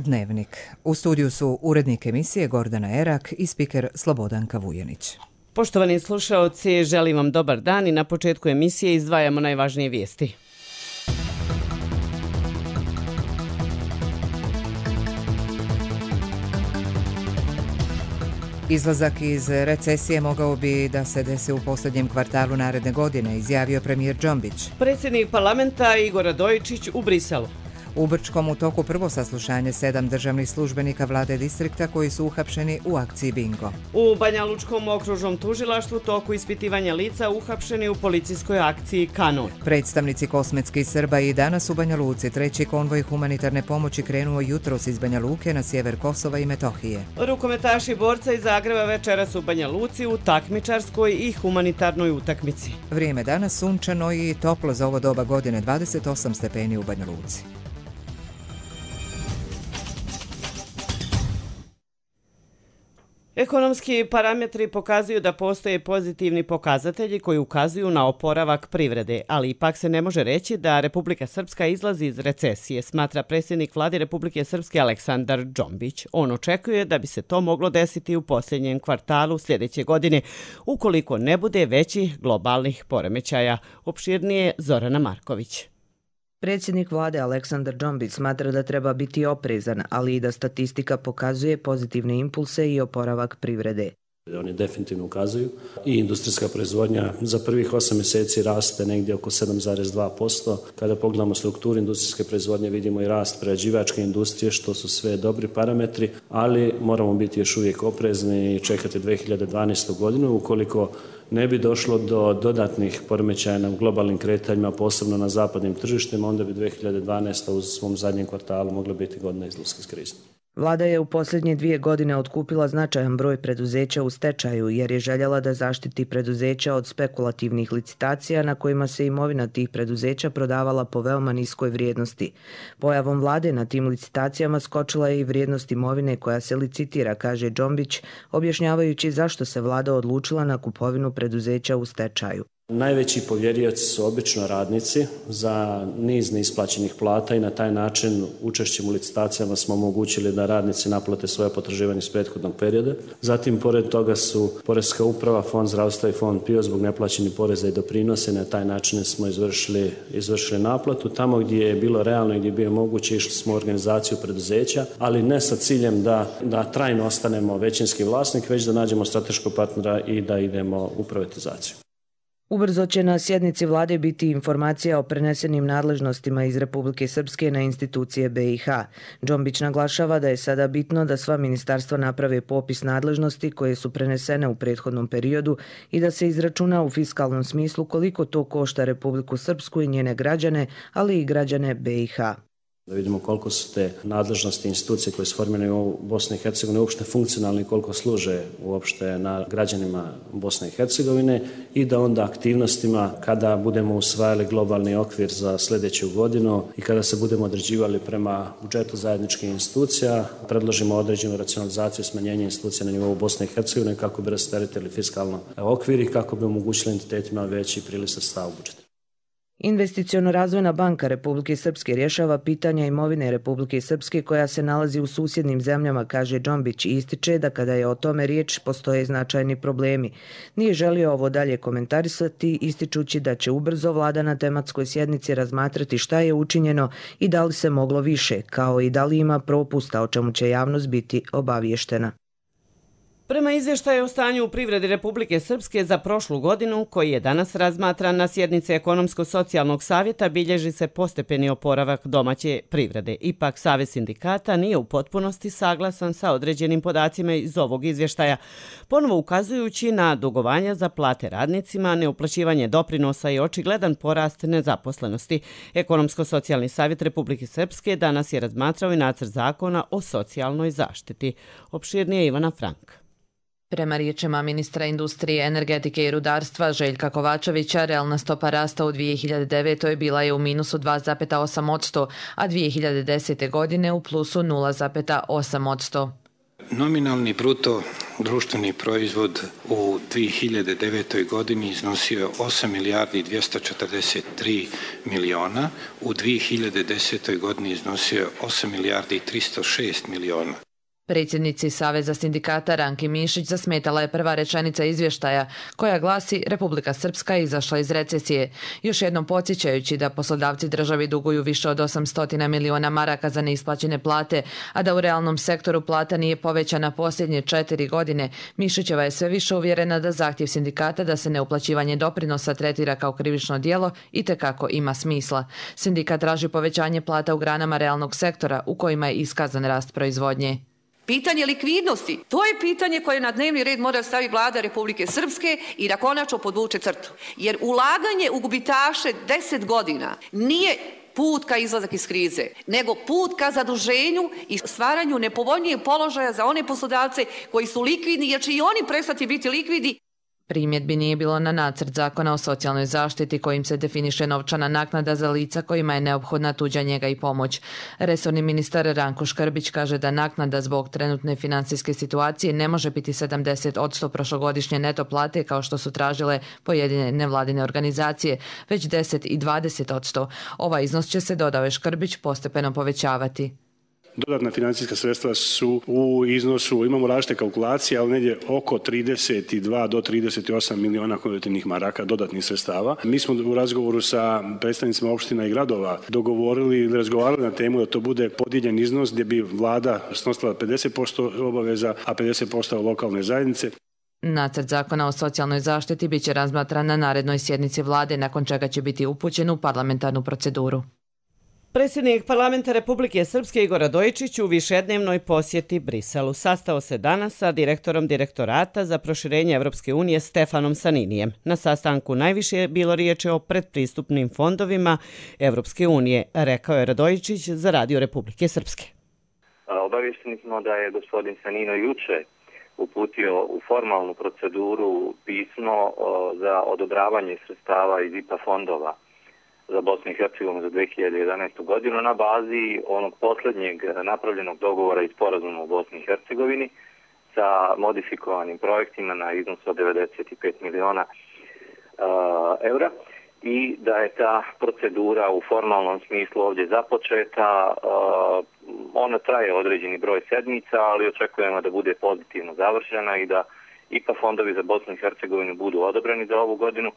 Dnevnik. U studiju su urednik emisije Gordana Erak i spiker Slobodanka Vujanić. Poštovani slušaoci, želim vam dobar dan i na početku emisije izdvajamo najvažnije vijesti. Izlazak iz recesije mogao bi da se desi u posljednjem kvartalu naredne godine, izjavio premijer Džombić. Predsjednik parlamenta Igor Radojičić u Briselu. U Brčkom u toku prvo saslušanje 7 državnih službenika vlade distrikta koji su uhapšeni u akciji Bingo. U Banjalučkom okružnom tužilaštvu toku ispitivanja lica uhapšeni u policijskoj akciji Kanon. Predstavnici kosmetskih Srba i danas u Banja Luci. Treći konvoj humanitarne pomoći krenuo jutros iz Banja Luke na sjever Kosova i Metohije. Rukometaši borca iz Zagreba večeras u Banja Luci u takmičarskoj i humanitarnoj utakmici. Vrijeme danas sunčano i toplo za ovo doba godine, 28 stepeni u Banja Luci. Ekonomski parametri pokazuju da postoje pozitivni pokazatelji koji ukazuju na oporavak privrede, ali ipak se ne može reći da Republika Srpska izlazi iz recesije, smatra predsjednik vlade Republike Srpske Aleksandar Džombić. On očekuje da bi se to moglo desiti u posljednjem kvartalu sljedeće godine, ukoliko ne bude većih globalnih poremećaja. Opširnije Zorana Marković. Predsjednik vlade Aleksandar Džombić smatra da treba biti oprezan, ali i da statistika pokazuje pozitivne impulse i oporavak privrede. Oni definitivno ukazuju i industrijska proizvodnja za prvih 8 mjeseci raste negdje oko 7,2%. Kada pogledamo strukturu industrijske proizvodnje vidimo i rast prerađivačke industrije, što su sve dobri parametri, ali moramo biti još uvijek oprezni i čekati 2012. godinu ukoliko ne bi došlo do dodatnih poremećaja na globalnim kretanjima, posebno na zapadnim tržištima, onda bi 2012. u svom zadnjem kvartalu mogla biti godina izlaska iz krize. Vlada je u posljednje 2 godine otkupila značajan broj preduzeća u stečaju jer je željela da zaštiti preduzeća od spekulativnih licitacija na kojima se imovina tih preduzeća prodavala po veoma niskoj vrijednosti. Pojavom vlade na tim licitacijama skočila je i vrijednost imovine koja se licitira, kaže Džombić, objašnjavajući zašto se vlada odlučila na kupovinu preduzeća u stečaju. Najveći povjerioci su obično radnici za niz neisplaćenih plata i na taj način učešćem u licitacijama smo omogućili da radnici naplate svoje potraživanje iz prethodnog perioda. Zatim, pored toga su Poreska uprava, Fond zdravstva i Fond PIO zbog neplaćenih poreza i doprinosa i na taj način smo izvršili naplatu. Tamo gdje je bilo realno i gdje je bio moguće išli smo u organizaciju preduzeća, ali ne sa ciljem da trajno ostanemo većinski vlasnik, već da nađemo strateškog partnera i da idemo u privatizaciju. Ubrzo će na sjednici vlade biti informacija o prenesenim nadležnostima iz Republike Srpske na institucije BiH. Džombić naglašava da je sada bitno da sva ministarstva naprave popis nadležnosti koje su prenesene u prethodnom periodu i da se izračuna u fiskalnom smislu koliko to košta Republiku Srpsku i njene građane, ali i građane BiH. Da vidimo koliko su te nadležnosti institucije koje su formirane u Bosni i Hercegovini uopšte funkcionalni i koliko služe uopšte na građanima Bosne i Hercegovine i da onda aktivnostima kada budemo usvajali globalni okvir za sljedeću godinu i kada se budemo određivali prema budžetu zajedničkih institucija, predložimo određenu racionalizaciju i smanjenje institucija na nivou Bosne i Hercegovine kako bi rasteretili fiskalno okvir i kako bi omogućili entitetima veći priliv sredstava u budžetu. Investiciono-razvojna banka Republike Srpske rješava pitanja imovine Republike Srpske koja se nalazi u susjednim zemljama, kaže Džombić, i ističe da kada je o tome riječ postoje značajni problemi. Nije želio ovo dalje komentarisati, ističući da će ubrzo vlada na tematskoj sjednici razmatrati šta je učinjeno i da li se moglo više, kao i da li ima propusta, o čemu će javnost biti obaviještena. Prema izvještaju o stanju u privredi Republike Srpske za prošlu godinu, koji je danas razmatran na sjednici Ekonomsko-socijalnog savjeta, bilježi se postepeni oporavak domaće privrede. Ipak, Savez sindikata nije u potpunosti saglasan sa određenim podacima iz ovog izvještaja, ponovo ukazujući na dugovanja za plate radnicima, neuplaćivanje doprinosa i očigledan porast nezaposlenosti. Ekonomsko-socijalni savjet Republike Srpske danas je razmatrao i nacrt zakona o socijalnoj zaštiti. Opširnije Ivana Frank. Prema riječima ministra industrije, energetike i rudarstva Željka Kovačevića, realna stopa rasta u 2009. bila je u minusu 2,8%, a 2010. godine u plusu 0,8%. Nominalni bruto društveni proizvod u 2009. godini iznosio 8 milijardi 243 miliona, u 2010. godini iznosio 8 milijardi 306 miliona. Predsjednici Saveza sindikata Ranki Mišić zasmetala je prva rečenica izvještaja koja glasi Republika Srpska je izašla iz recesije, još jednom podsjećajući da poslodavci državi duguju više od 800 miliona maraka za neisplaćene plate, a da u realnom sektoru plata nije povećana posljednje 4 godine. Mišićeva je sve više uvjerena da zahtjev sindikata da se neuplaćivanje doprinosa tretira kao krivično djelo itekako ima smisla. Sindikat traži povećanje plata u granama realnog sektora u kojima je iskazan rast proizvodnje. Pitanje likvidnosti, to je pitanje koje na dnevni red mora staviti vlada Republike Srpske i da konačno podvuče crtu. Jer ulaganje u gubitaše 10 godina nije put ka izlazak iz krize, nego put ka zaduženju i stvaranju nepovoljnijeg položaja za one poslodavce koji su likvidni, jer će i oni prestati biti likvidni. Primjedbi nije bilo na nacrt zakona o socijalnoj zaštiti kojim se definiše novčana naknada za lica kojima je neophodna tuđa njega i pomoć. Resorni ministar Ranko Škrbić kaže da naknada zbog trenutne financijske situacije ne može biti 70% prošlogodišnje neto plate kao što su tražile pojedine nevladine organizacije, već 10 i 20%. Ovaj iznos će se, dodao je Škrbić, postepeno povećavati. Dodatna financijska sredstva su u iznosu, imamo različite kalkulacije, ali negdje oko 32 do 38 miliona konvertibilnih maraka dodatnih sredstava. Mi smo u razgovoru sa predstavnicima opština i gradova dogovorili ili razgovarali na temu da to bude podijeljen iznos gdje bi vlada snosila 50% obaveza, a 50% lokalne zajednice. Nacrt zakona o socijalnoj zaštiti biće razmatran na narednoj sjednici vlade, nakon čega će biti upućen u parlamentarnu proceduru. Predsjednik Parlamenta Republike Srpske Igor Radojičić u višednevnoj posjeti Briselu sastao se danas sa direktorom Direktorata za proširenje Evropske unije Stefanom Saninijem. Na sastanku najviše je bilo riječi o predpristupnim fondovima Evropske unije, rekao je Radojičić za Radio Republike Srpske. Obaviješteni smo da je gospodin Sanino juče uputio u formalnu proceduru pismo za odobravanje sredstava iz IPA fondova za Bosnu i Hercegovinu za 2011. godinu na bazi onog posljednjeg napravljenog dogovora i sporazuma u Bosni i Hercegovini sa modifikovanim projektima na iznos od 95 miliona eura i da je ta procedura u formalnom smislu ovdje započeta. Ona traje određeni broj sedmica, ali očekujemo da bude pozitivno završena i da IPA fondovi za Bosnu i Hercegovinu budu odobreni za ovu godinu.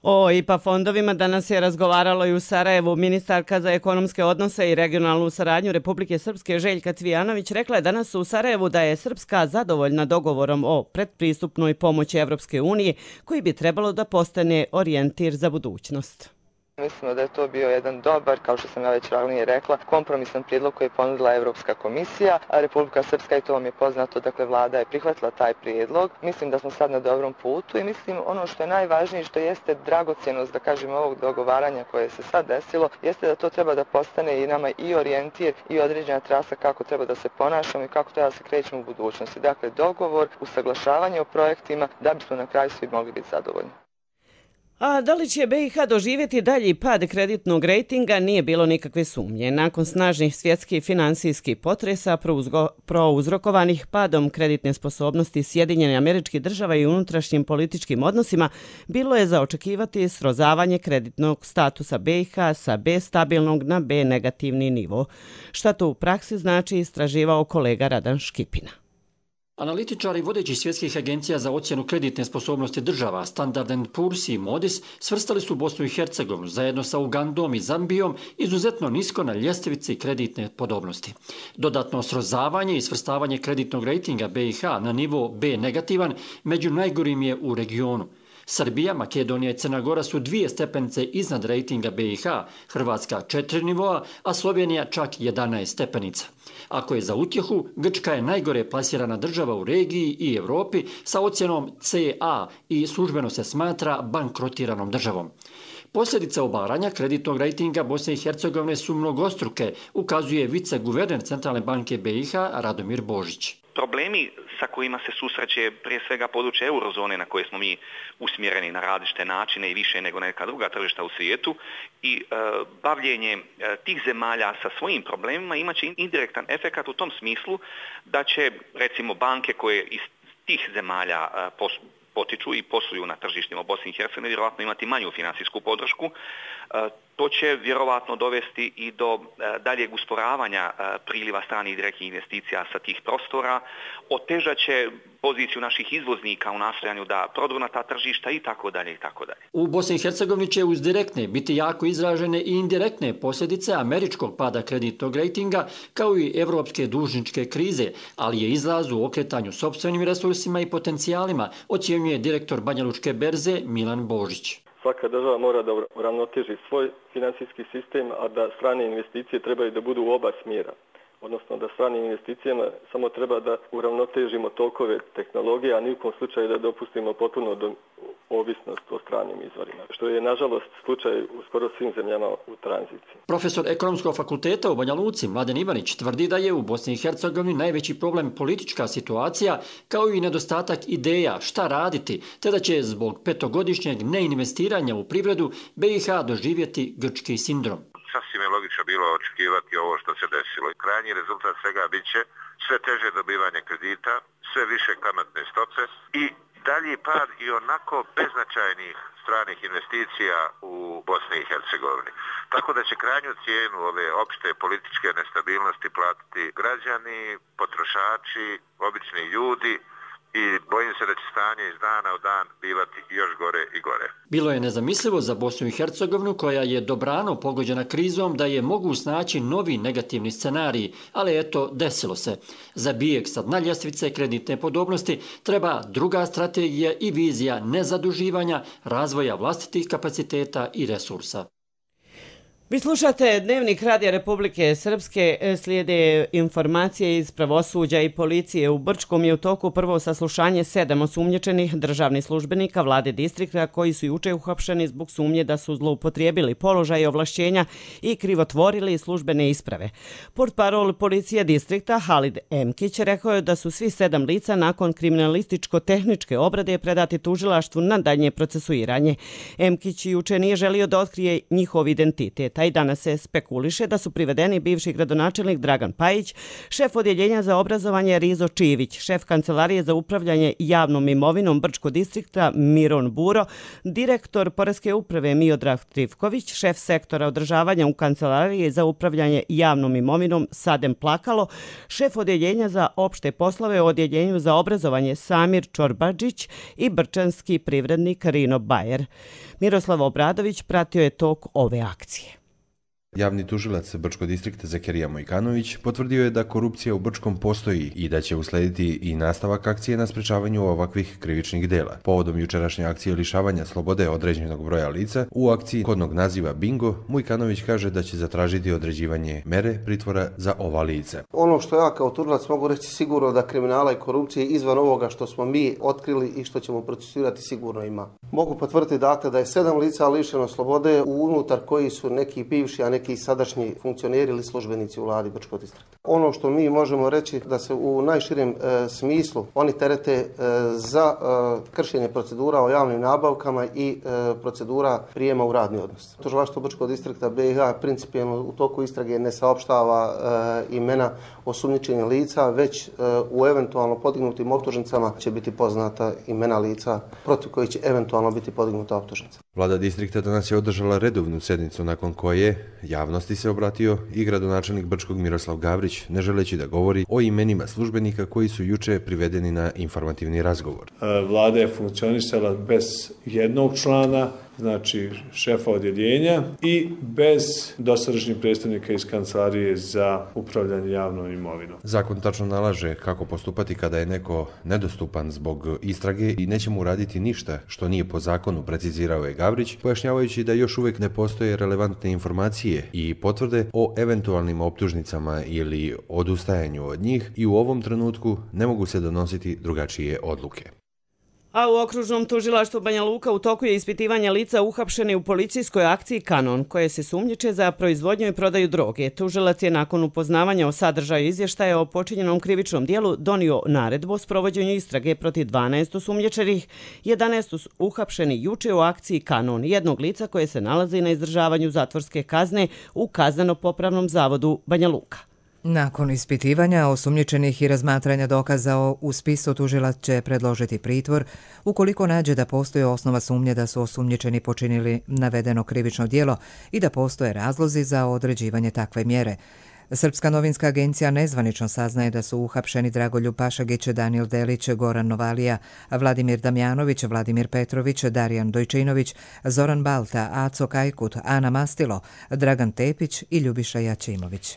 O IPA fondovima danas je razgovaralo i u Sarajevu. Ministarka za ekonomske odnose i regionalnu saradnju Republike Srpske Željka Cvijanović rekla je danas u Sarajevu da je Srpska zadovoljna dogovorom o predpristupnoj pomoći Evropske unije koji bi trebalo da postane orijentir za budućnost. Mislimo da je to bio jedan dobar, kao što sam ja već ranije rekla, kompromisan prijedlog koji je ponudila Evropska komisija, a Republika Srpska, i to vam je poznato, dakle vlada je prihvatila taj prijedlog. Mislim da smo sad na dobrom putu i mislim ono što je najvažnije, što jeste dragocjenost, da kažem, ovog dogovaranja koje se sad desilo, jeste da to treba da postane i nama i orijentir i određena trasa kako treba da se ponašamo i kako treba da se krećemo u budućnosti. Dakle, dogovor, usaglašavanje o projektima da bismo na kraju svi mogli biti zadovoljni. A da li će BiH doživjeti dalji pad kreditnog rejtinga, nije bilo nikakve sumnje. Nakon snažnih svjetskih finansijskih potresa prouzrokovanih padom kreditne sposobnosti Sjedinjenih Američkih Država i unutrašnjim političkim odnosima, bilo je za očekivati srozavanje kreditnog statusa BiH sa B stabilnog na B negativni nivo. Šta to u praksi znači, istraživao kolega Radan Škipina. Analitičari vodećih svjetskih agencija za ocjenu kreditne sposobnosti država Standard & Poor's i Moody's svrstali su Bosnu i Hercegovinu zajedno sa Ugandom i Zambijom izuzetno nisko na ljestvici kreditne podobnosti. Dodatno srozavanje i svrstavanje kreditnog rejtinga BiH na nivo B negativan među najgorim je u regionu. Srbija, Makedonija i Crna Gora su 2 stepenice iznad rejtinga BiH, Hrvatska 4 nivoa, a Slovenija čak 11 stepenica. Ako je za utjehu, Grčka je najgore plasirana država u regiji i Europi sa ocjenom CA i službeno se smatra bankrotiranom državom. Posljedice obaranja kreditnog rejtinga Bosne i Hercegovine su mnogostruke, ukazuje viceguverner Centralne banke BiH Radomir Božić. problemi sa kojima se susreće prije svega područje eurozone na koje smo mi usmjereni na različite načine i više nego neka druga tržišta u svijetu i bavljenje tih zemalja sa svojim problemima imaće indirektan efekat u tom smislu da će recimo banke koje iz tih zemalja potiču i posluju na tržištima u Bosni i Hercegovini vjerojatno imati manju financijsku podršku. To će vjerovatno dovesti i do daljeg usporavanja priliva stranih direktnih investicija sa tih prostora, otežat će poziciju naših izvoznika u nastojanju da prodru na ta tržišta i tako dalje i tako dalje. U Bosni i Hercegovini će uz direktne biti jako izražene i indirektne posljedice američkog pada kreditnog rejtinga kao i evropske dužničke krize, ali je izlaz u okretanju sopstvenim resursima i potencijalima, ocjenjuje direktor Banjalučke berze Milan Božić. Svaka država mora da uravnoteži svoj financijski sistem, a da strane investicije trebaju da budu u oba smjera. Odnosno da stranim investicijama samo treba da uravnotežimo tokove tehnologije, a ni u kom slučaju da dopustimo potpuno ovisnost o stranim izvorima, što je nažalost slučaj u skoro svim zemljama u tranziciji. Profesor Ekonomskog fakulteta u Banja Luci Mladen Ivanić tvrdi da je u Bosni i Hercegovini najveći problem politička situacija kao i nedostatak ideja šta raditi, te da će zbog 5-godišnjeg neinvestiranja u privredu BiH doživjeti grčki sindrom. Sasvim je logično bilo očekivati ovo što se desilo. Krajnji rezultat svega bit će sve teže dobivanje kredita, sve više kamatne stope i dalji pad i onako beznačajnih stranih investicija u Bosni i Hercegovini. Tako da će krajnju cijenu ove opšte političke nestabilnosti platiti građani, potrošači, obični ljudi, i bojim se da će stanje iz dana u dan bivati još gore i gore. Bilo je nezamislivo za Bosnu i Hercegovinu, koja je dobrano pogođena krizom, da je mogu snaći novi negativni scenariji, ali eto, desilo se. Za bijeg sa dna ljestvice kreditne podobnosti treba druga strategija i vizija nezaduživanja, razvoja vlastitih kapaciteta i resursa. Vi slušate Dnevnik Radija Republike Srpske, slijede informacije iz pravosuđa i policije. U Brčkom je u toku prvo saslušanje 7 osumnjičenih državnih službenika vlade distrikta koji su juče uhapšeni zbog sumnje da su zloupotrijebili položaj i ovlašćenja i krivotvorili službene isprave. Portparol policije distrikta Halid Emkić rekao je da su svi 7 lica nakon kriminalističko-tehničke obrade predati tužilaštvu na daljnje procesuiranje. Emkić juče nije želio da otkrije njihov identitet. I danas se spekuliše da su privedeni bivši gradonačelnik Dragan Pajić, šef odjeljenja za obrazovanje Rizo Čivić, šef kancelarije za upravljanje javnom imovinom Brčkog distrikta Miron Buro, direktor Poreske uprave Miodrag Trivković, šef sektora održavanja u kancelariji za upravljanje javnom imovinom Sadem Plakalo, šef odjeljenja za opšte poslove u odjeljenju za obrazovanje Samir Čorbadžić i brčanski privrednik Rino Bajer. Miroslav Obradović pratio je tok ove akcije. Javni tužilac Brčkog distrikta Zakirija Mojkanović potvrdio je da korupcija u Brčkom postoji i da će uslediti i nastavak akcije na sprečavanju ovakvih krivičnih dela. Povodom jučerašnje akcije lišavanja slobode određenog broja lica, u akciji kodnog naziva Bingo, Mojkanović kaže da će zatražiti određivanje mere pritvora za ova lica. Ono što ja kao tužilac mogu reći sigurno da kriminala i korupcije izvan ovoga što smo mi otkrili i što ćemo procesuirati sigurno ima. Mogu potvrditi dakle da je 7 lica lišeno slobode unutar koji su neki bivši, a neki sadašnji funkcioneri ili službenici u vladi Brčkog distrikta. Ono što mi možemo reći da se u najširem smislu oni terete za kršenje procedura o javnim nabavkama i procedura prijema u radni odnos. Tužilaštvo Brčkog distrikta BiH principijelno u toku istrage ne saopštava imena osumnjičenih lica, već u eventualno podignutim optužnicama će biti poznata imena lica protiv kojih će eventualno biti podignuta optužnica. Vlada distrikta danas je održala redovnu sjednicu nakon koje javnosti se obratio i gradonačelnik Brčkog Miroslav Gavrić, ne želeći da govori o imenima službenika koji su juče privedeni na informativni razgovor. Vlada je funkcionisala bez jednog člana, znači šefa odjeljenja, i bez dosadašnjih predstavnika iz kancelarije za upravljanje javnom imovinom. Zakon tačno nalaže kako postupati kada je neko nedostupan zbog istrage i neće mu raditi ništa što nije po zakonu, precizirao je Gavrić, pojašnjavajući da još uvijek ne postoje relevantne informacije i potvrde o eventualnim optužnicama ili odustajanju od njih i u ovom trenutku ne mogu se donositi drugačije odluke. A u okružnom tužilaštvu Banja Luka u toku je ispitivanje lica uhapšeni u policijskoj akciji Kanon, koje se sumnjiče za proizvodnju i prodaju droge. Tužilac je nakon upoznavanja o sadržaju izvještaja o počinjenom krivičnom dijelu donio naredbu o sprovođenju istrage protiv 12 osumnjičenih, 11 uhapšeni juče u akciji Kanon, jednog lica koje se nalazi na izdržavanju zatvorske kazne u Kazneno-popravnom zavodu Banja Luka. Nakon ispitivanja osumnjičenih i razmatranja dokaza u spisu, tužilac će predložiti pritvor ukoliko nađe da postoji osnova sumnje da su osumnjičeni počinili navedeno krivično djelo i da postoje razlozi za određivanje takve mjere. Srpska novinska agencija nezvanično saznaje da su uhapšeni Dragoljub Pašagić, Danijel Delić, Goran Novalija, Vladimir Damjanović, Vladimir Petrović, Darijan Dojčinović, Zoran Balta, Aco Kajkut, Ana Mastilo, Dragan Tepić i Ljubiša Jačimović.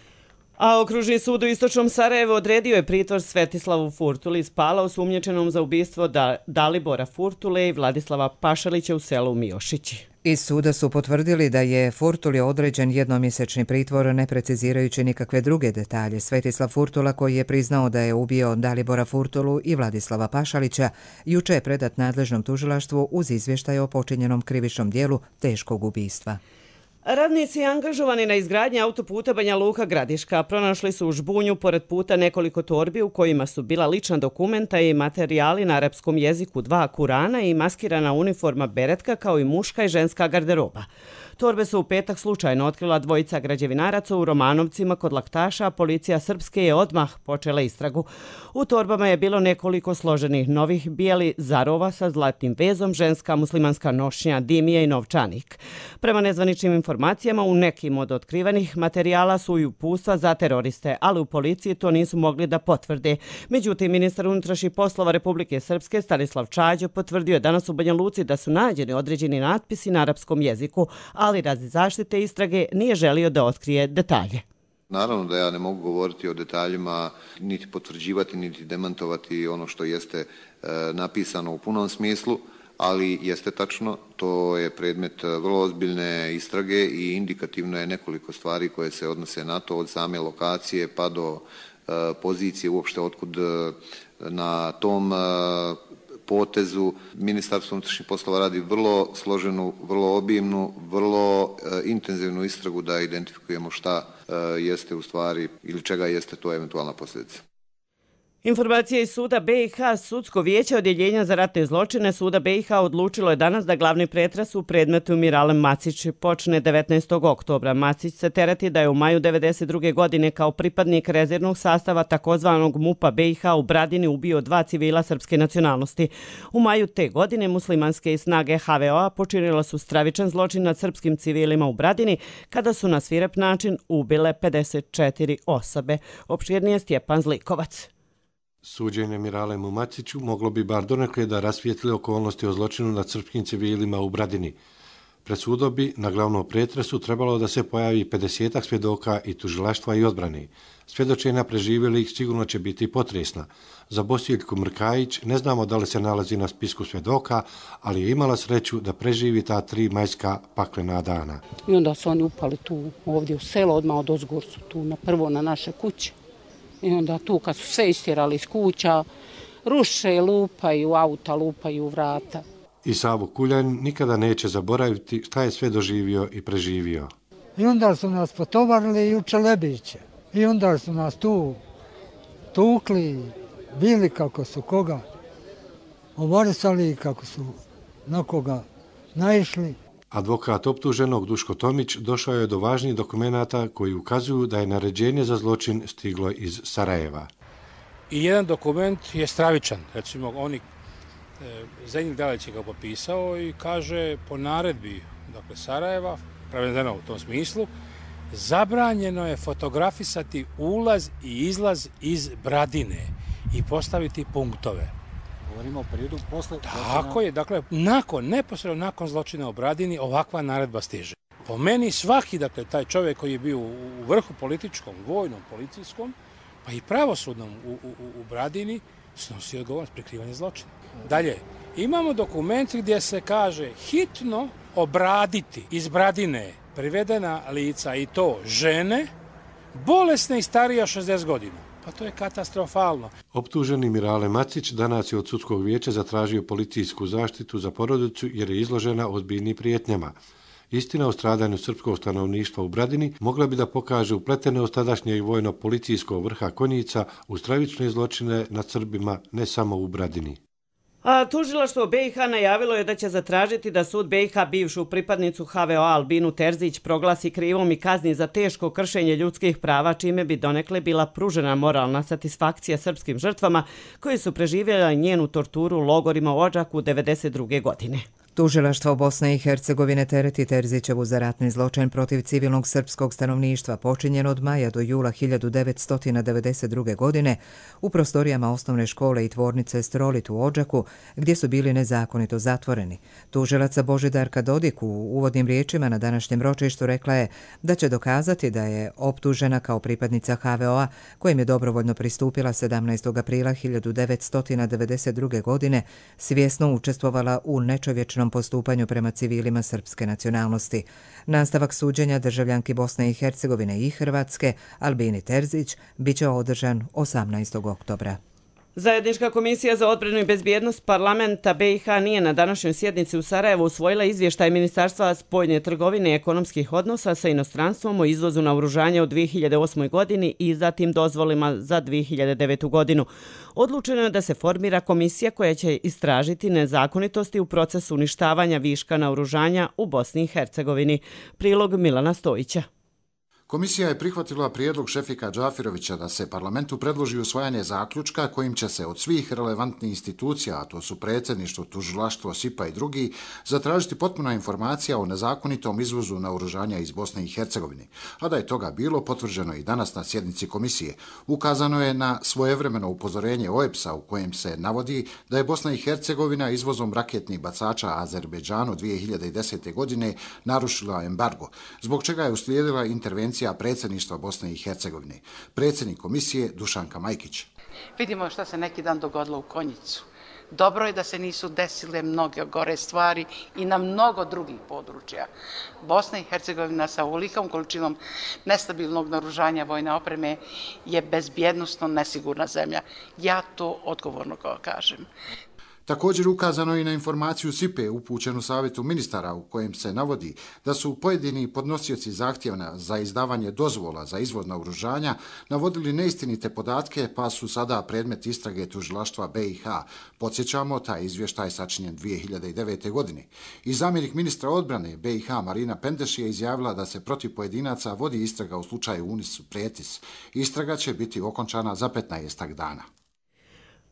A okružni sud u Istočnom Sarajevu odredio je pritvor Svetislavu Furtuli iz Pala osumnjičenom za ubistvo Dalibora Furtule i Vladislava Pašalića u selu Miošići. Iz suda su potvrdili da je Furtuli određen jednomjesečni pritvor, ne precizirajući nikakve druge detalje. Svetislav Furtula, koji je priznao da je ubio Dalibora Furtulu i Vladislava Pašalića, juče je predat nadležnom tužilaštvu uz izvještaj o počinjenom krivičnom dijelu teškog ubistva. Radnici angažovani na izgradnji autoputa Banja Luka-Gradiška pronašli su u žbunju pored puta nekoliko torbi u kojima su bila lična dokumenta i materijali na arapskom jeziku, 2 Kurana i maskirana uniforma beretka kao i muška i ženska garderoba. Torbe su u petak slučajno otkrila dvojica građevinaraca u Romanovcima kod Laktaša, a policija srpske je odmah počela istragu. U torbama je bilo nekoliko složenih novih bijeli zarova sa zlatnim vezom, ženska muslimanska nošnja, dimija i novčanik. Prema nezvaničnim informacijama, u nekim od otkrivenih materijala su i uputstva za teroriste, ali u policiji to nisu mogli da potvrde. Međutim, ministar unutrašnjih poslova Republike Srpske Stanislav Čađo potvrdio je danas u Banja Luci da su nađeni određeni natpisi na arapskom jeziku, ali radi zaštite istrage nije želio da otkrije detalje. Naravno da ja ne mogu govoriti o detaljima, niti potvrđivati, niti demantovati ono što jeste napisano u punom smislu, ali jeste tačno, to je predmet vrlo ozbiljne istrage i indikativno je nekoliko stvari koje se odnose na to, od same lokacije pa do pozicije uopšte otkud na tom potezu. Ministarstvo unutrašnjih poslova radi vrlo složenu, vrlo obimnu, vrlo intenzivnu istragu da identifikujemo šta jeste u stvari ili čega jeste to eventualna posljedica. Informacija iz suda BiH, sudsko vijeće odjeljenja za ratne zločine suda BiH odlučilo je danas da glavni pretres u predmetu Miralem Macić počne 19. oktobra. Macić se tereti da je u maju 1992. godine kao pripadnik rezervnog sastava takozvanog MUP-a BiH u Bradini ubio 2 civila srpske nacionalnosti. U maju te godine muslimanske snage HVO-a počinile su stravičan zločin nad srpskim civilima u Bradini kada su na svirep način ubile 54 osobe. Opširnije Stjepan Zlikovac. Suđenje Miralemu Maciću moglo bi bar donekle da rasvijetli okolnosti o zločinu nad srpskim civilima u Bradini. Pred sudom bi na glavnom pretresu trebalo da se pojavi 50 svjedoka i tužilaštva i odbrane. Svjedočenja preživjelih sigurno će biti potresna. Za Bosiljku Mrkajić ne znamo da li se nalazi na spisku svjedoka, ali je imala sreću da preživi ta 3 majska paklena dana. I onda su oni upali tu ovdje u selo, odmah od ozgor su tu prvo na naše kuće. I onda tu kad su sve istjerali iz kuća, ruše, lupaju auta, lupaju vrata. I Savo Kuljan nikada neće zaboraviti šta je sve doživio i preživio. I onda su nas potovarili i u Čelebiće. I onda su nas tu tukli, bili kako su koga ovarisali, kako su na koga naišli. Advokat optuženog Duško Tomić došao je do važnih dokumenata koji ukazuju da je naređenje za zločin stiglo iz Sarajeva. I jedan dokument je stravičan. Recimo, Zdenjik Dalić je ga popisao i kaže po naredbi Sarajeva, prevedeno u tom smislu, zabranjeno je fotografisati ulaz i izlaz iz Bradine i postaviti punktove. Govorimo o periodu posle Tako je, dakle, neposredno nakon zločina u Bradini ovakva naredba stiže. Po meni svaki, taj čovjek koji je bio u vrhu političkom, vojnom, policijskom, pa i pravosudnom u Bradini, snosi odgovornost prikrivanja zločina. Dalje, imamo dokument gdje se kaže hitno obraditi iz Bradine privedena lica i to žene, bolesne i starije od 60 godina. Pa to je katastrofalno. Optuženi Mirale Macić danas je od sudskog vijeća zatražio policijsku zaštitu za porodicu jer je izložena ozbiljnim prijetnjama. Istina o stradanju srpskog stanovništva u Bradini mogla bi da pokaže upletenost tadašnjeg vojno-policijskog vrha Konjica u stravične zločine nad Srbima ne samo u Bradini. A tužilaštvo BiH najavilo je da će zatražiti da sud BiH bivšu pripadnicu HVO Albinu Terzić proglasi krivom i kazni za teško kršenje ljudskih prava, čime bi donekle bila pružena moralna satisfakcija srpskim žrtvama koji su preživjeli njenu torturu u logorima u Odžaku 1992. godine. Tužilaštvo Bosne i Hercegovine tereti Terzićevu za ratni zločin protiv civilnog srpskog stanovništva počinjen od maja do jula 1992. godine u prostorijama osnovne škole i tvornice Strolit u Odžaku, gdje su bili nezakonito zatvoreni. Tužilaca Božidarka Dodik u uvodnim riječima na današnjem ročištu rekla je da će dokazati da je optužena kao pripadnica HVO-a, kojim je dobrovoljno pristupila 17. aprila 1992. godine, svjesno učestvovala u nečovječnom postupanju prema civilima srpske nacionalnosti. Nastavak suđenja državljanki Bosne i Hercegovine i Hrvatske, Albini Terzić, biće održan 18. oktobra. Zajednička komisija za odbranu i bezbjednost parlamenta BiH nije na današnjoj sjednici u Sarajevu usvojila izvještaj Ministarstva spoljne trgovine i ekonomskih odnosa sa inostranstvom o izvozu naoružanja u 2008. godini i zatim dozvolima za 2009. godinu. Odlučeno je da se formira komisija koja će istražiti nezakonitosti u procesu uništavanja viška naoružanja u Bosni i Hercegovini. Prilog Milana Stojića. Komisija je prihvatila prijedlog Šefika Džafirovića da se parlamentu predloži usvajanje zaključka kojim će se od svih relevantnih institucija, a to su predsjedništvo, tužilaštvo, SIPA i drugi, zatražiti potpuna informacija o nezakonitom izvozu naoružanja iz Bosne i Hercegovine. A da je toga bilo, potvrđeno i danas na sjednici komisije. Ukazano je na svojevremeno upozorenje OEBS-a u kojem se navodi da je Bosna i Hercegovina izvozom raketnih bacača Azerbejdžanu 2010. godine narušila embargo, zbog čega je uslijedila intervencija predsjedništva Bosne i Hercegovine. Predsjednik komisije Dušanka Majkić. Vidimo što se neki dan dogodilo u Konjicu. Dobro je da se nisu desile mnoge gore stvari i na mnogo drugih područja. Bosna i Hercegovina sa ovolikom količinom nestabilnog naoružanja vojne opreme je bezbjednosno nesigurna zemlja. Ja to odgovorno kažem. Također ukazano i na informaciju SIPE upućenu savjetu ministara u kojem se navodi da su pojedini podnosioci zahtjeva za izdavanje dozvola za izvoz naoružanja navodili neistinite podatke pa su sada predmet istrage tužilaštva BiH. Podsjećamo, taj izvještaj sačinjen 2009. godine. I zamjenik ministra odbrane BiH Marina Pendeš je izjavila da se protiv pojedinaca vodi istraga u slučaju Unis Pretis. Istraga će biti okončana za 15 dana.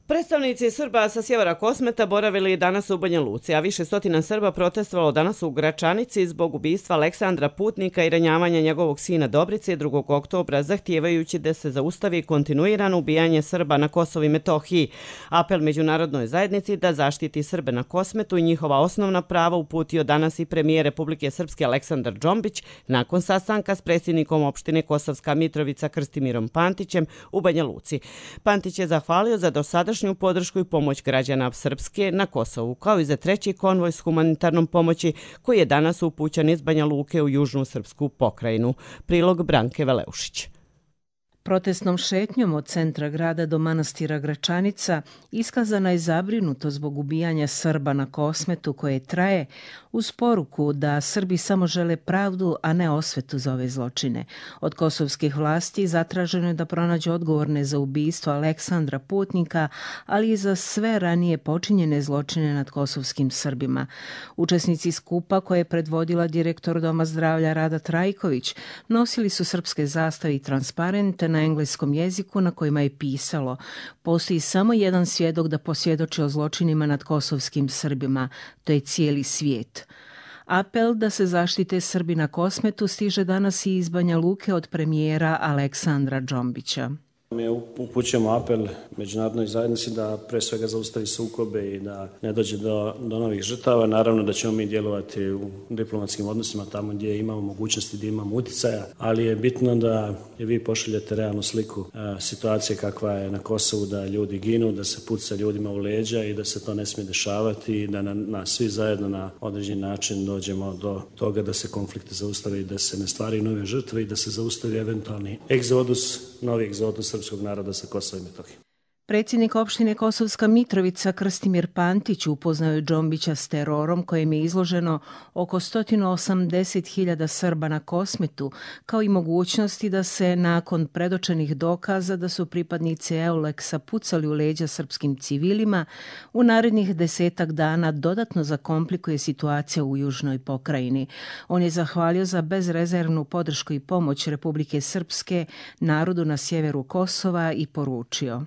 Predstavnici Srba sa sjevera Kosmeta boravili danas u Banja Luci, a više stotina Srba protestovalo danas u Gračanici zbog ubistva Aleksandra Putnika i ranjavanja njegovog sina Dobrice 2. oktobra, zahtijevajući da se zaustavi kontinuirano ubijanje Srba na Kosovu i Metohiji. Apel međunarodnoj zajednici da zaštiti Srbe na Kosmetu i njihova osnovna prava uputio danas i premijer Republike Srpske Aleksandar Džombić nakon sastanka s predsjednikom opštine Kosovska Mitrovica Krstimirom Pantićem u Banja Luci. Pantić je zahvalio za dosadašnju podršku i pomoć građana Srpske na Kosovu, kao i za treći konvoj s humanitarnom pomoći koji je danas upućen iz Banja Luke u južnu srpsku pokrajinu. Prilog Branke Veleušić. Protestnom šetnjom od centra grada do manastira Gračanica iskazana je zabrinutost zbog ubijanja Srba na Kosmetu koje traje, uz poruku da Srbi samo žele pravdu, a ne osvetu za ove zločine. Od kosovskih vlasti zatraženo je da pronađe odgovorne za ubistvo Aleksandra Putnika, ali i za sve ranije počinjene zločine nad kosovskim Srbima. Učesnici skupa koje je predvodila direktor Doma zdravlja Rada Trajković nosili su srpske zastave i transparente na engleskom jeziku na kojima je pisalo: postoji samo jedan svjedok da posvjedoči o zločinima nad kosovskim Srbima, to je cijeli svijet. Apel da se zaštite Srbi na Kosmetu stiže danas i iz Banja Luke od premijera Aleksandra Džombića. Mi upućujemo apel međunarodnoj zajednici da pre svega zaustavi sukobe i da ne dođe do novih žrtava. Naravno da ćemo mi djelovati u diplomatskim odnosima tamo gdje imamo mogućnosti, gdje imamo uticaja, ali je bitno da vi pošaljete realnu sliku situacije kakva je na Kosovu, da ljudi ginu, da se puca ljudima u leđa i da se to ne smije dešavati i da svi zajedno na određeni način dođemo do toga da se konflikte zaustave i da se ne stvaraju nove žrtve i da se zaustavi eventualni egzodus, novi egzodus srpskog naroda sa Kosova i Metohije. Predsjednik opštine Kosovska Mitrovica Krstimir Pantić upoznao je Džombića s terorom kojem je izloženo oko 180.000 Srba na Kosmetu, kao i mogućnosti da se nakon predočenih dokaza da su pripadnici Euleksa pucali u leđa srpskim civilima, u narednih 10 dana dodatno zakomplikuje situacija u južnoj pokrajini. On je zahvalio za bezrezervnu podršku i pomoć Republike Srpske narodu na sjeveru Kosova i poručio: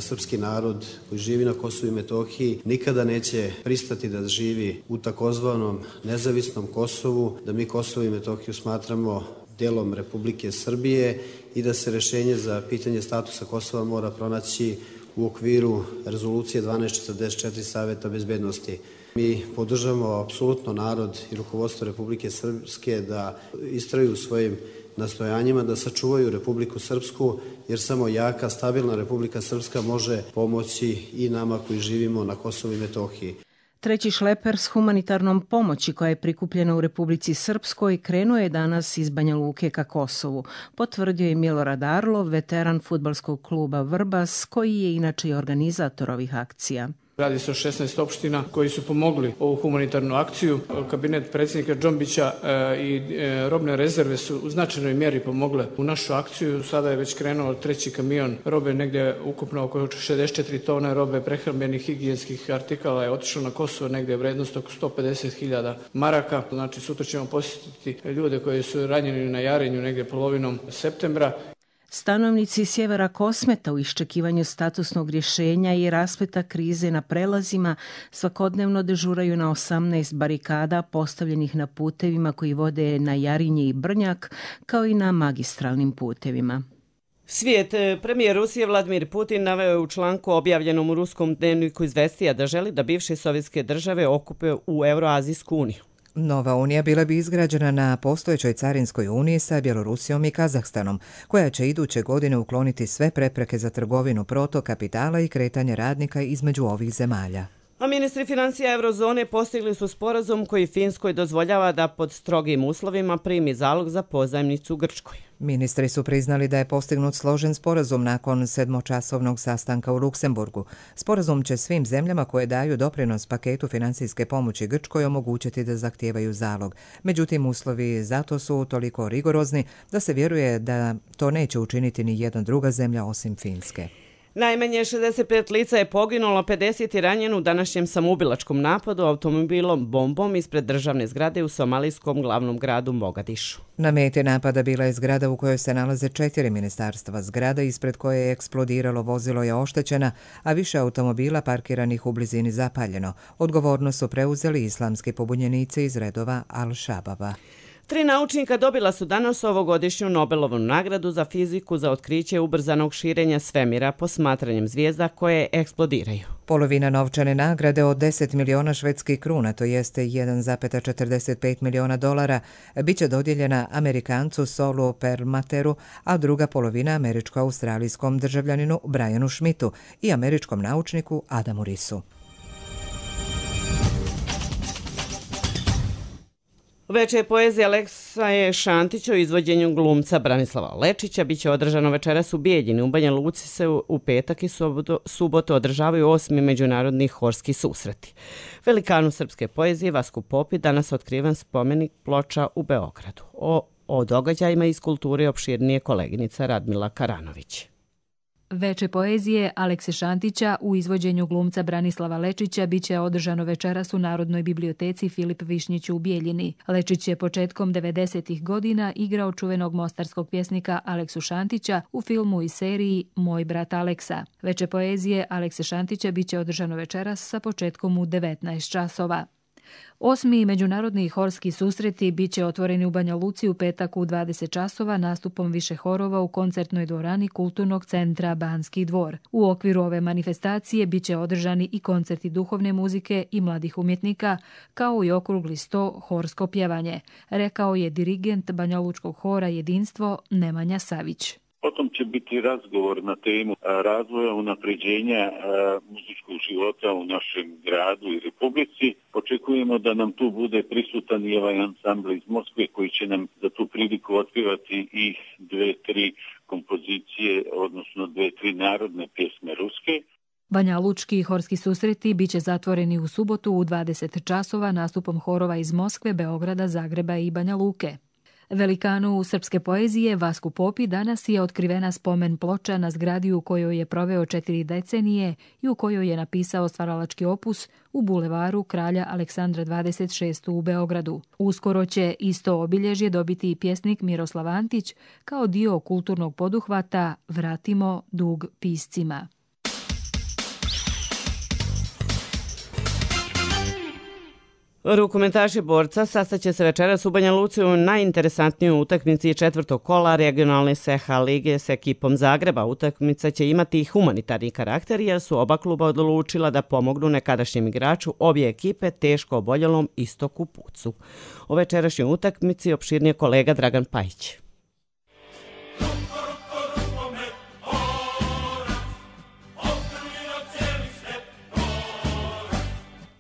Srpski narod koji živi na Kosovu i Metohiji nikada neće pristati da živi u takozvanom nezavisnom Kosovu, da mi Kosovo i Metohiju smatramo dijelom Republike Srbije i da se rješenje za pitanje statusa Kosova mora pronaći u okviru rezolucije 1244 Saveta bezbednosti. Mi podržavamo apsolutno narod i rukovodstvo Republike Srpske da istraju svojim nastojanjima da sačuvaju Republiku Srpsku, jer samo jaka, stabilna Republika Srpska može pomoći i nama koji živimo na Kosovu i Metohiji. Treći šleper s humanitarnom pomoći koja je prikupljena u Republici Srpskoj krenuo je danas iz Banja Luke ka Kosovu, potvrdio je Milorad Arlov, veteran fudbalskog kluba Vrbas, koji je inače i organizator ovih akcija. Radi se o 16 opština koji su pomogli ovu humanitarnu akciju. Kabinet predsjednika Džombića i robne rezerve su u značajnoj mjeri pomogle u našu akciju. Sada je već krenuo treći kamion robe, negdje ukupno oko 64 tone robe prehrambenih higijenskih artikala je otišlo na Kosovo, negdje je vrednost oko 150.000 maraka. Znači sutra ćemo posjetiti ljude koji su ranjeni na Jarinju negdje polovinom septembra. Stanovnici sjevera Kosmeta u iščekivanju statusnog rješenja i raspleta krize na prelazima svakodnevno dežuraju na 18 barikada postavljenih na putevima koji vode na Jarinje i Brnjak, kao i na magistralnim putevima. Svijet. Premijer Rusije Vladimir Putin naveo je u članku objavljenom u ruskom dnevniku Izvestija da želi da bivše sovjetske države okupe u Euroazijsku uniju. Nova unija bila bi izgrađena na postojećoj carinskoj uniji sa Bjelorusijom i Kazahstanom, koja će iduće godine ukloniti sve prepreke za trgovinu, protok kapitala i kretanje radnika između ovih zemalja. A ministri financija Eurozone postigli su sporazum koji Finskoj dozvoljava da pod strogim uslovima primi zalog za pozajmnicu Grčkoj. Ministri su priznali da je postignut složen sporazum nakon 7-časovnog sastanka u Luksemburgu. Sporazum će svim zemljama koje daju doprinos paketu financijske pomoći Grčkoj omogućiti da zahtijevaju zalog. Međutim, uslovi zato su toliko rigorozni da se vjeruje da to neće učiniti ni jedna druga zemlja osim Finske. Najmanje 65 lica je poginulo, 50 je ranjeno u današnjem samoubilačkom napadu automobilom bombom ispred državne zgrade u somalijskom glavnom gradu Mogadišu. Na meti napada bila je zgrada u kojoj se nalaze 4 ministarstva. Zgrada ispred koje je eksplodiralo vozilo je oštećena, a više automobila parkiranih u blizini zapaljeno. Odgovornost su preuzeli islamski pobunjenici iz redova Al-Shababa. 3 naučnika dobila su danas ovogodišnju Nobelovu nagradu za fiziku za otkriće ubrzanog širenja svemira posmatranjem zvijezda koje eksplodiraju. Polovina novčane nagrade od 10 miliona švedskih kruna, to jeste 1,45 miliona dolara, biće dodijeljena Amerikancu Saulu Perlmatteru, a druga polovina američko-australijskom državljaninu Brianu Schmidtu i američkom naučniku Adamu Risu. Veče poezije Aleksaje Šantića o izvođenju glumca Branislava Lečića biće održano večeras u Bijeljini. U Banja Luci se u petak i subotu održavaju 8. međunarodni horski susreti. Velikanu srpske poezije Vasku Popi danas otkriven spomenik ploča u Beogradu. O događajima iz kulture opširnije koleginica Radmila Karanović. Veče poezije Alekse Šantića u izvođenju glumca Branislava Lečića biće održano večeras u Narodnoj biblioteci Filip Višnjić u Bijeljini. Lečić je početkom 90. godina igrao čuvenog mostarskog pjesnika Aleksu Šantića u filmu i seriji Moj brat Aleksa. Veče poezije Alekse Šantića biće održano večeras sa početkom u 19 časova. 8. međunarodni horski susreti biće otvoreni u Banja Luci u petak u 20 časova nastupom više horova u koncertnoj dvorani Kulturnog centra Banski dvor. U okviru ove manifestacije biće održani i koncerti duhovne muzike i mladih umjetnika, kao i okrugli sto horsko pjevanje, rekao je dirigent Banja Lučkog hora Jedinstvo Nemanja Savić. Potom će biti razgovor na temu razvoja unapređenja muzičkog života u našem gradu i republici. Očekujemo da nam tu bude prisutan i ovaj ansambl iz Moskve koji će nam za tu priliku otpevati i 2-3 kompozicije, odnosno 2-3 narodne pjesme ruske. Banja Lučki i horski susreti bit će zatvoreni u subotu u 20 časova nastupom horova iz Moskve, Beograda, Zagreba i Banja Luke. Velikanu srpske poezije Vasku Popi danas je otkrivena spomen ploča na zgradi u kojoj je proveo 4 decenije i u kojoj je napisao stvaralački opus u bulevaru Kralja Aleksandra 26. u Beogradu. Uskoro će isto obilježje dobiti i pjesnik Miroslav Antić kao dio kulturnog poduhvata Vratimo dug piscima. Rukometaši borca sastaće se večeras u Banja Luci u najinteresantnijoj utakmici četvrtog kola regionalne SEHA lige s ekipom Zagreba. Utakmica će imati i humanitarni karakter jer su oba kluba odlučila da pomognu nekadašnjem igraču obje ekipe teško oboljelom Istoku Pucu. O večerašnjoj utakmici opširnije kolega Dragan Pajić.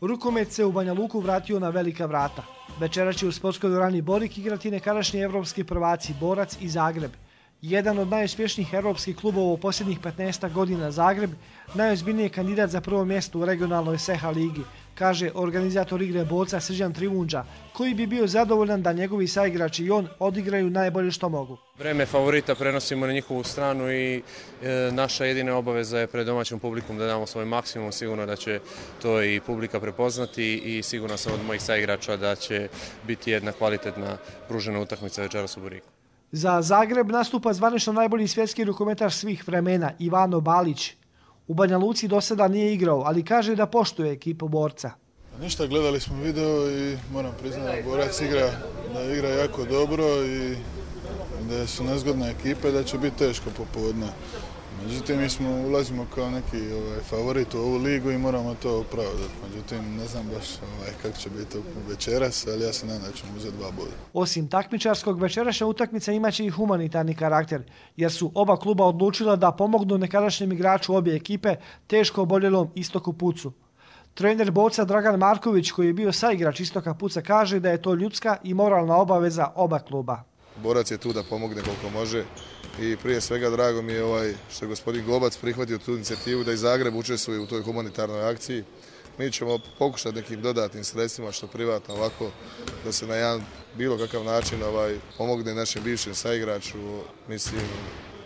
Rukomet se u Banja Luku vratio na velika vrata. Večera će u sportskoj dvorani Borik igrati nekadašnji evropski prvaci Borac i Zagreb. Jedan od najuspješnijih evropskih klubova u posljednjih 15 godina Zagreb, najozbiljniji je kandidat za prvo mjesto u regionalnoj SEHA ligi, kaže organizator igre borca Srđan Trivunđa, koji bi bio zadovoljan da njegovi saigrači i on odigraju najbolje što mogu. Vreme favorita prenosimo na njihovu stranu i naša jedina obaveza je pred domaćom publikom da damo svoj maksimum. Sigurno da će to i publika prepoznati i sigurno sam od mojih saigrača da će biti jedna kvalitetna pružena utakmica večeras u Boriku. Za Zagreb nastupa zvanično najbolji svjetski rukometaš svih vremena Ivano Balić. U Banja Luci do sada nije igrao, ali kaže da poštuje ekipu borca. Ništa, gledali smo video i moram priznati da Borac igra jako dobro i da su nezgodne ekipe, da će biti teško popodne. Međutim, mi ulazimo kao neki favorit u ovu ligu i moramo to opravdati. Međutim, ne znam baš kako će biti večeras, ali ja se nadam da ćemo uzeti 2 boda. Osim takmičarskog, večerašnja utakmica imaće i humanitarni karakter, jer su oba kluba odlučila da pomognu nekadašnjem igraču obje ekipe teško oboljelom Istoku Pucu. Trener borca Dragan Marković, koji je bio saigrač Istoka Puca, kaže da je to ljudska i moralna obaveza oba kluba. Borac je tu da pomogne koliko može i prije svega drago mi je što je gospodin Globac prihvatio tu inicijativu da i Zagreb učestvuje u toj humanitarnoj akciji. Mi ćemo pokušati nekim dodatnim sredstvima što privatno ovako da se na jedan bilo kakav način pomogne našem bivšem saigraču. Mislim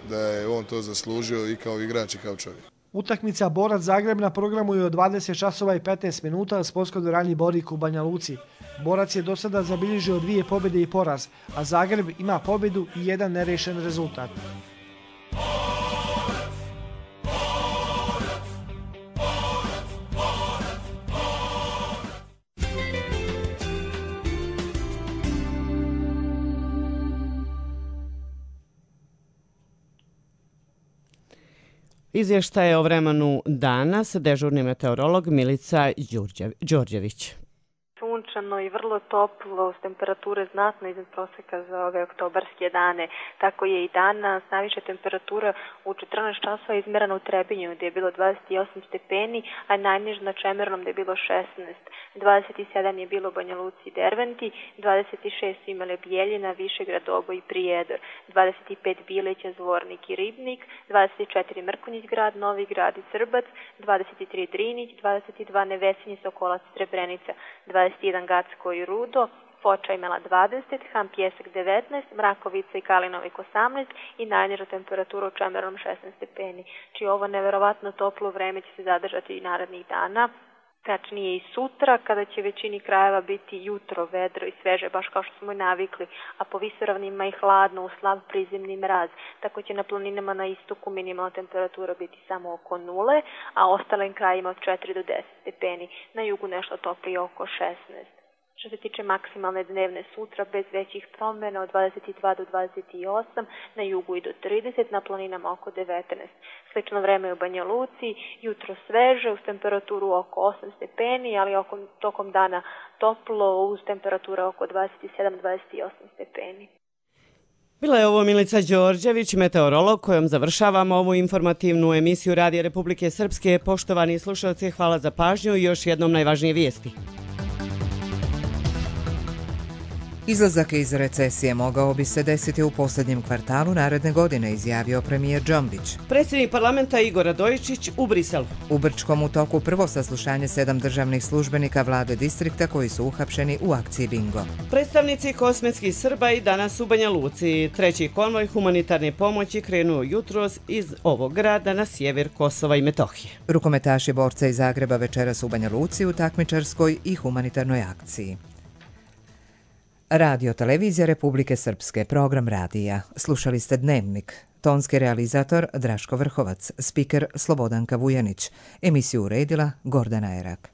da je on to zaslužio i kao igrač i kao čovjek. Utakmica Borac Zagreb na programu je od 20 časova i 15 minuta u sportskoj dvorani Borik u Banja Luci. Borac je do sada zabilježio 2 pobjede i poraz, a Zagreb ima pobjedu i 1 nerešen rezultat. Izvještaje o vremenu danas, dežurni meteorolog Milica Đorđević. Sunčano i vrlo toplo, s temperature znatno iznad prosjeka za ove oktobarske dane. Tako je i danas. Najviša temperatura u 14 časova izmjerena u Trebinju gdje je bilo 28 stepeni, a najniža na Čemernom gdje je bilo 16. 27 je bilo u Banja Luci i Derventi, 26 su imale Bijeljina, Višegrad, Oboj i Prijedor, 25 Bileća, Zvornik i Ribnik, 24 Mrkonjić grad, Novi grad i Srbac, 23 Drinić, 22 Nevesinje, Sokolac, Srebrenica, 21 Gacko i Rudo, Foča imala 20, Ham Pjesak 19, Mrakovica i Kalinovik 18 i najniža temperatura u Čemernom 16 stepeni. Či ovo neverovatno toplo vreme će se zadržati i narednih dana. Tačnije i sutra, kada će većini krajeva biti jutro, vedro i sveže, baš kao što smo i navikli, a po visoravnima i hladno, u slab prizemni mraz. Tako će na planinama na istoku minimalna temperatura biti samo oko 0, a ostalim krajima od 4 do 10 stepeni. Na jugu nešto toplije oko 16. Što se tiče maksimalne dnevne sutra, bez većih promjena od 22 do 28, na jugu i do 30, na planinama oko 19. Slično vreme u Banja Luci, jutro sveže uz temperaturu oko 8 stepeni, ali tokom dana toplo uz temperature oko 27-28 stepeni. Bila je ovo Milica Đorđević, meteorolog, kojom završavamo ovu informativnu emisiju Radija Republike Srpske. Poštovani slušalci, hvala za pažnju i još jednom najvažnije vijesti. Izlazak iz recesije mogao bi se desiti u posljednjem kvartalu naredne godine, izjavio premijer Džombić. Predsjednik parlamenta Igor Radojičić u Briselu. U Brčkom u toku prvo saslušanje 7 državnih službenika vlade distrikta koji su uhapšeni u akciji Bingo. Predstavnici kosmetskih Srba i danas u Banja Luci. Treći konvoj humanitarne pomoći krenuo jutros iz ovog grada na sjever Kosova i Metohije. Rukometaši borca iz Zagreba večeras u Banja Luci u takmičarskoj i humanitarnoj akciji. Radio Televizija Republike Srpske, program radija. Slušali ste Dnevnik. Tonski realizator Draško Vrhovac, spiker Slobodanka Vujanić. Emisiju uredila Gordana Erak.